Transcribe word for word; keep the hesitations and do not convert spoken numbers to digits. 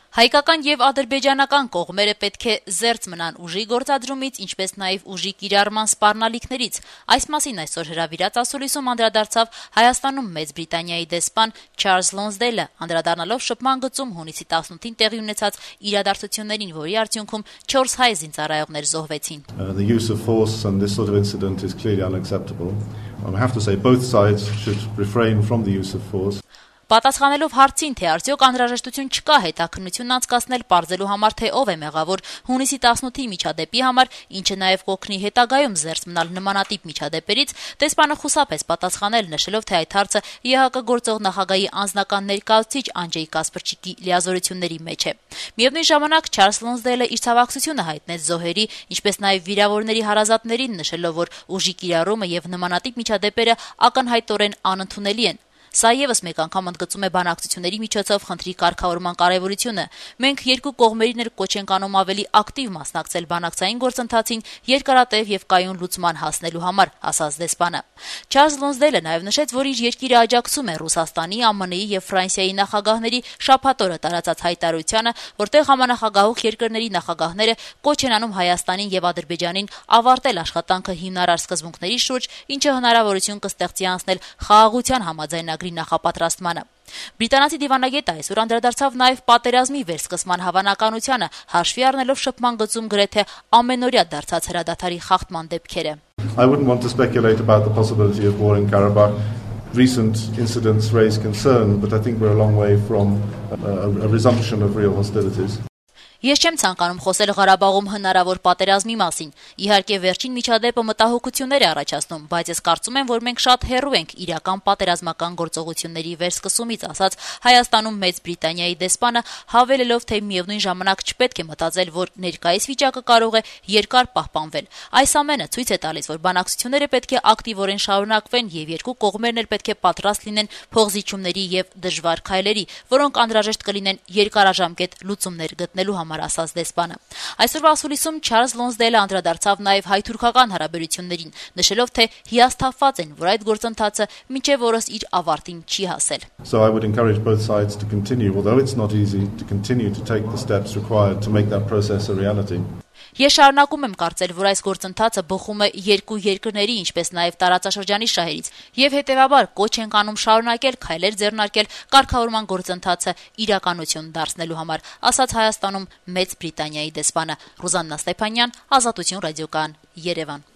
Հայկական եւ ադրբեջանական կողմերը պետք է զերծ մնան ուժի գործադրումից, ինչպես նաեւ ուժի կիրառման սպառնալիքներից։ Այս մասին այսօր հրավիրած ասուլիսում անդրադարձավ Հայաստանում Մեծ Բրիտանիայի դեսպան Չարլզ Լոնսդեյլը, անդրադառնալով շփման գծում հունիսի տասնութին տեղի ունեցած իրադարձություններին, որի արդյունքում չորս հայ զինծառայողներ զոհվեցին։ Uh, the use of force and this sort of incident is clearly unacceptable. I have to say both sides should refrain from the use of force. Պատասխանելով հարցին, թե արդյոք անհրաժեշտություն չկա հետաքննություն անցկացնել պարզելու համար, թե ով է մեղավոր հունիսի տասնութի միջադեպի համար, ինչը նաև կօգնի հետագայում զերծ մնալ նմանատիպ միջադեպերից, դեսպանը խուսափեց պատասխանել, նշելով, թե այդ հարցը ԵՀԿ գործող նախագահի անձնական ներկայացուցիչ Անջեյ Կասպրչիկի լիազորությունների մեջ է։ Միևնույն ժամանակ Չարլզ Լոնսդեյլը իր ցավակցությունը հայտնեց զոհերի, ինչպես նաև վիրավորների հարազատներին, նշելով, որ ուժի կիրառումը եւ նմանատիպ միջադեպերը ակնհայտորեն անընդունելի են։ Սա եւս մեկ անգամ ընդգծում է բանակցությունների միջոցով խնդրի կարգավորման կարեւորությունը։ Մենք երկու կողմերին էլ կոչ ենք անում ավելի ակտիվ մասնակցել բանակցային գործընթացին երկարատև եւ կայուն լուծման հասնելու համար, ասաց դեսպանը։ Չարլզ Լոնսդեյլը նաեւ նշեց, որ իր երկիրը աջակցում է Ռուսաստանի, ԱՄՆ-ի եւ Ֆրանսիայի նախագահների շաբաթօրը տարածած հայտարարությանը, որտեղ համանախագահող երկրների նախագահները կոչ են անում Հայաստանին եւ Ադրբեջանին ավարտել աշխատանքը հիմնարար սկզբունքների շուրջ, ինչը հնարավորություն կստեղծի անցնել խաղաղության համաձայնագրի նախապատրաստմանը։ Բրիտանացի դիվանագետը այսօր անդրադարձավ նաև պատերազմի վերսկսման հավանականությանը, հաշվի առնելով շփման գծում գրեթե ամենօրյա դարձած հրադադարի խախտման դեպքերը։ I wouldn't want to speculate about the possibility of war in Karabakh. Recent incidents raise concern, but I think we're a long way from a, a resumption of real hostilities. Ես չեմ ցանկանում խոսել Ղարաբաղում հնարավոր պատերազմի մասին։ Իհարկե, վերջին միջադեպը մտահոգություններ է առաջացնում, բայց ես կարծում եմ, որ մենք շատ հեռու ենք իրական պատերազմական գործողությունների վերսկսումից, ասաց Հայաստանում Մեծ Բրիտանիայի դեսպանը, հավելելով, թե միևնույն ժամանակ չպետք է մտածել, որ ներկայիս վիճակը կարող է երկար պահպանվել։ Այս ամենը ցույց է տալիս, որ բանակցությունները պետք է ակտիվորեն շարունակվեն եւ երկու կողմերն էլ պետք է պատրաստ լինեն փոխզիջումների եւ դժվար քայլերի, որոնք անհրաժեշտ կլինեն երկարաժամկետ լուծումներ գտնելու համար, ասաց դեսպանը։ Այսօրվա ասուլիսում Չարլզ Լոնսդեյլը անդրադարձավ նաև հայ-թուրքական հարաբերություններին, նշելով, թե հիասթափված են, որ այդ գործընթացը մինչև օրս իր ավարտին չի հասել։ So I would encourage both sides to continue, although it's not easy, to continue to take the steps required to make that process a reality. Ես շարունակում եմ կարծել, որ այս գործընթացը բխում է երկու երկրների, ինչպես նաև տարածաշրջանի շահերից, եւ հետեւաբար կոչ ենք անում շարունակել քայլեր ձեռնարկել կարգավորման գործընթացը իրականություն դարձնելու համար, ասաց Հայաստանում Մեծ Բրիտանիայի դեսպանը։ Ռուզաննա Ստեփանյան, Ազատություն ռադիոկայան, Երևան։